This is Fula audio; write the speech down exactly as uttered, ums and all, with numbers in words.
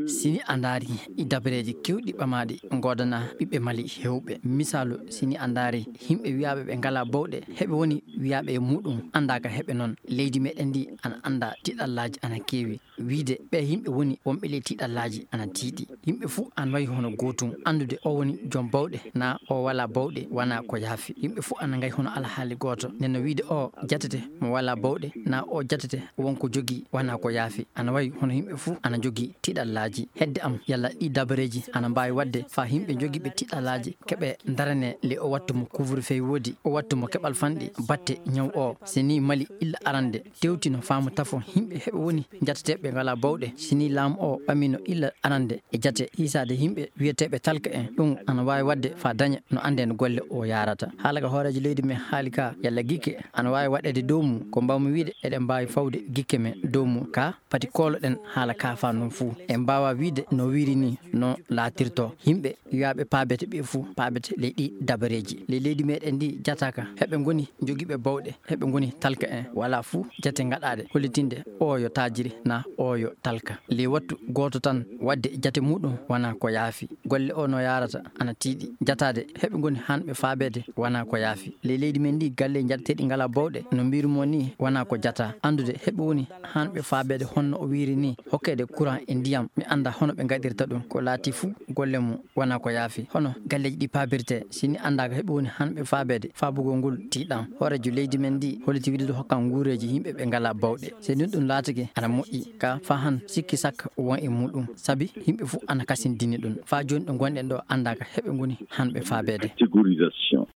Si ni a ndaari ɗi dabareeji keewɗi ɓamaaɗi ngoodana ɓiɓɓe Mali heewɓe, misaalu, si ni a ndaari yimɓe wiyaaɓe ɓe ngalaa bawɗe, heɓe woni wiyaaɓe e muuɗum, anndaa ka heɓe noon. Leydi meɗen ndi ana anndaa tiɗallaaji ana keewi. Wiide ɓe yimɓe woni wonɓe ley tiɗallaaji ana tiiɗi. Yimɓe fuu ana wayi hono gootum, anndude o woni joom bawɗe, naa o walaa bawɗe, wanaa ko yaafi. Yimɓe fuu ana ngayi hono alhaali gooto. Nden no wiide o jatete mo walaa bawɗe, naa o jatete won ko jogii, wanaa ko yaafi. Ana wayi hono yimɓe fuu ana jogii tiɗallaaji. Hedde am, yalla ɗi dabareeji ana mbaawi waɗde faa yimɓe jogiiɓe tiɗallaaji keɓe ndarane le o wattu mo couvre-feu woodi, o wattu mo keɓal fanɗi batte ñaw o. Si ni Mali illa arande tewtino faamu tafo yimɓe heɓe woni jateteeɓe ngalaa bawɗe, si ni laamu o ɓamino illa arande e jate hiisaade yimɓe wiyeteeɓe talka en, ɗum ana waawi waɗde faa daña no annden golle o yaarata. Haala ka hooreejo leydi men haali ka, yalla gikke ana waawi waɗeede dow mum, ko mbaaw-mi wiide eɗen mbaawi fawde gikke men dow mum ka pati kooloɗen haala ka faa noon fuu. En mbaawa wiide no wiiri ni no laatirto. Yimɓe wiyaaɓe paabete ɓe fuu paabete ley ɗi dabareeji. Ley leydi meɗen ndi jataaka heɓe ngoni jogiiɓe bawɗe, heɓe ngoni talka en. Walaa fuu jate ngaɗaaɗe hollitinde o yo taajiri naa o yo talka. Ley wattu gooto tan waɗde jate muuɗum wanaa ko yaafi. Golle o no yaarata ana tiiɗi. Jataade heɓe ngoni hanɓe faabeede wanaa ko yaafi. Ley leydi men ndi galle jateteeɗi ngalaa bawɗe no mbiiru mo ni wanaa ko jata. Anndude heɓe woni hanɓe faabeede honno o wiiri ni hokkeede courant e ndiyam. Mi anndaa hono ɓe ngaɗirta ɗum. Ko laati fuu golle mum wanaa ko yaafi. Hono galleeji ɗi paabirtee, si ni anndaaka heɓe woni hanɓe faabeede faabugol ngol tiiɗam. Hooreejo leydi men ndi holliti wiide ɗo hokkan nguureeji yimɓe ɓe ngalaa bawɗe. Si ni ɗum laatike ana moƴƴi, ka faa han sikki sakka won e muuɗum. Sabi yimɓe fuu ana kasindini ɗum. Faa jooni ɗo ngonɗen ɗo anndaaka heɓe ngoni hanɓe faabeede. Catégorisation.